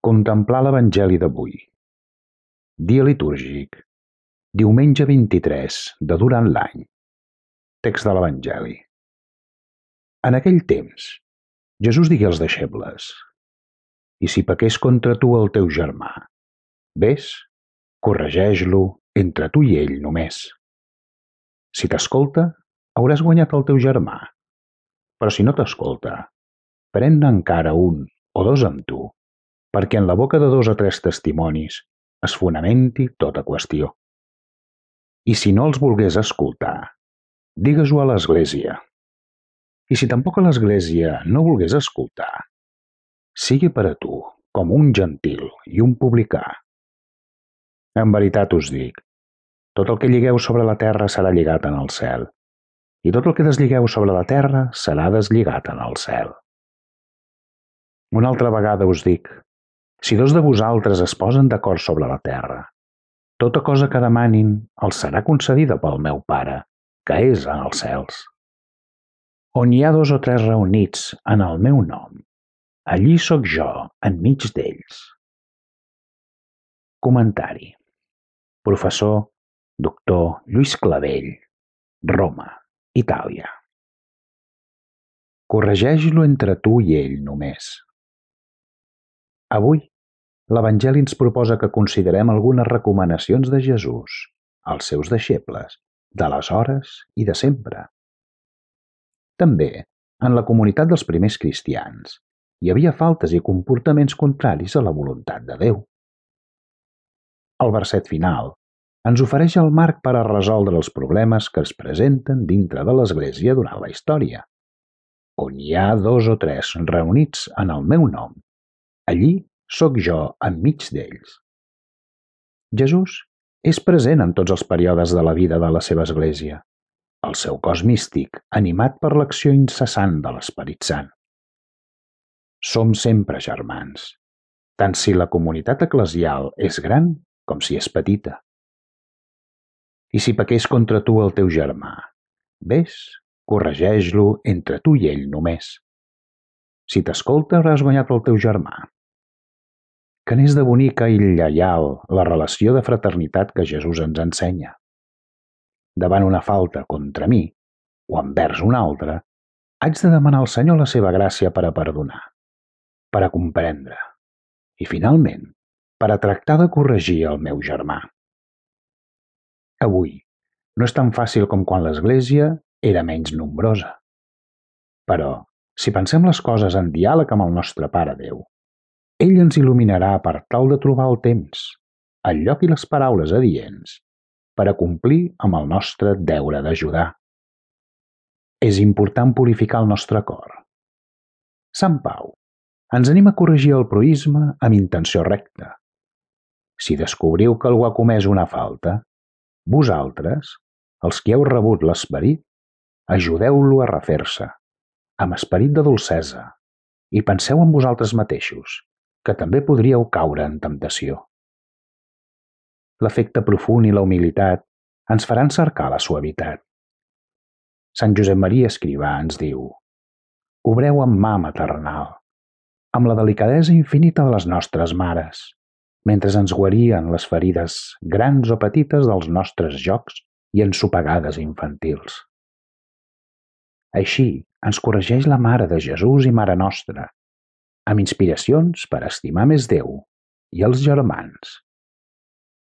Contemplar l'Evangeli d'avui. Dia litúrgic. Diumenge 23 de durant l'any. Text de l'Evangeli. En aquell temps, Jesús digué als deixebles: «I si pequés contra tu el teu germà, ves, corregeix-lo entre tu i ell només. Si t'escolta, hauràs guanyat el teu germà. Però si no t'escolta, pren-ne encara un o dos amb tu, perquè en la boca de 2 o 3 testimonis es fonamenti tota qüestió. I si no els volgués escoltar, digues-ho a l'Església. I si tampoc a l'Església no volgués escoltar, sigui per a tu com un gentil i un publicà. En veritat us dic, tot el que lligueu sobre la terra serà lligat en el cel, i tot el que deslligueu sobre la terra serà deslligat en el cel. Una altra vegada us dic, si 2 de vosaltres es posen d'acord sobre la terra, tota cosa que demanin els serà concedida pel meu Pare, que és en els cels. On hi ha 2 o 3 reunits en el meu nom, allí sóc jo enmig d'ells. Comentari. Professor Dr. Lluís Clavell, Roma, Itàlia. Corregeix-lo entre tu i ell només. Avui, l'Evangeli ens proposa que considerem algunes recomanacions de Jesús als seus deixebles, d'aleshores i de sempre. També, en la comunitat dels primers cristians, hi havia faltes i comportaments contraris a la voluntat de Déu. El verset final ens ofereix el marc per a resoldre els problemes que es presenten dintre de l'Església durant la història. On hi ha 2 o 3 reunits en el meu nom, allí sóc jo enmig d'ells. Jesús és present en tots els períodes de la vida de la seva Església, el seu cos místic animat per l'acció incessant de l'Esperit Sant. Som sempre germans, tant si la comunitat eclesial és gran com si és petita. I si pequés contra tu el teu germà, ves, corregeix-lo entre tu i ell només. Si t'escolta, hauràs guanyat el teu germà. Que n'és de bonica i lleial la relació de fraternitat que Jesús ens ensenya. Davant una falta contra mi, o envers un altre, haig de demanar al Senyor la seva gràcia per a perdonar, per a comprendre, i finalment, per a tractar de corregir el meu germà. Avui, no és tan fàcil com quan l'Església era menys nombrosa. Però, si pensem les coses en diàleg amb el nostre Pare Déu, ell ens il·luminarà per tal de trobar el temps, el lloc i les paraules adients per a complir amb el nostre deure d'ajudar. És important purificar el nostre cor. Sant Pau ens anima a corregir el proïsme amb intenció recta. Si descobriu que algú ha comès una falta, vosaltres, els qui heu rebut l'Esperit, ajudeu-lo a refer-se, amb esperit de dolcesa, i penseu en vosaltres mateixos, que també podríeu caure en temptació. L'afecte profund i la humilitat ens faran cercar la suavitat. Sant Josep Maria Escrivà ens diu: obreu amb mà maternal, amb la delicadesa infinita de les nostres mares, mentre ens guarien les ferides grans o petites dels nostres jocs i ensopegades infantils. Així ens corregeix la Mare de Jesús i Mare Nostra, amb inspiracions per estimar més Déu i els germans.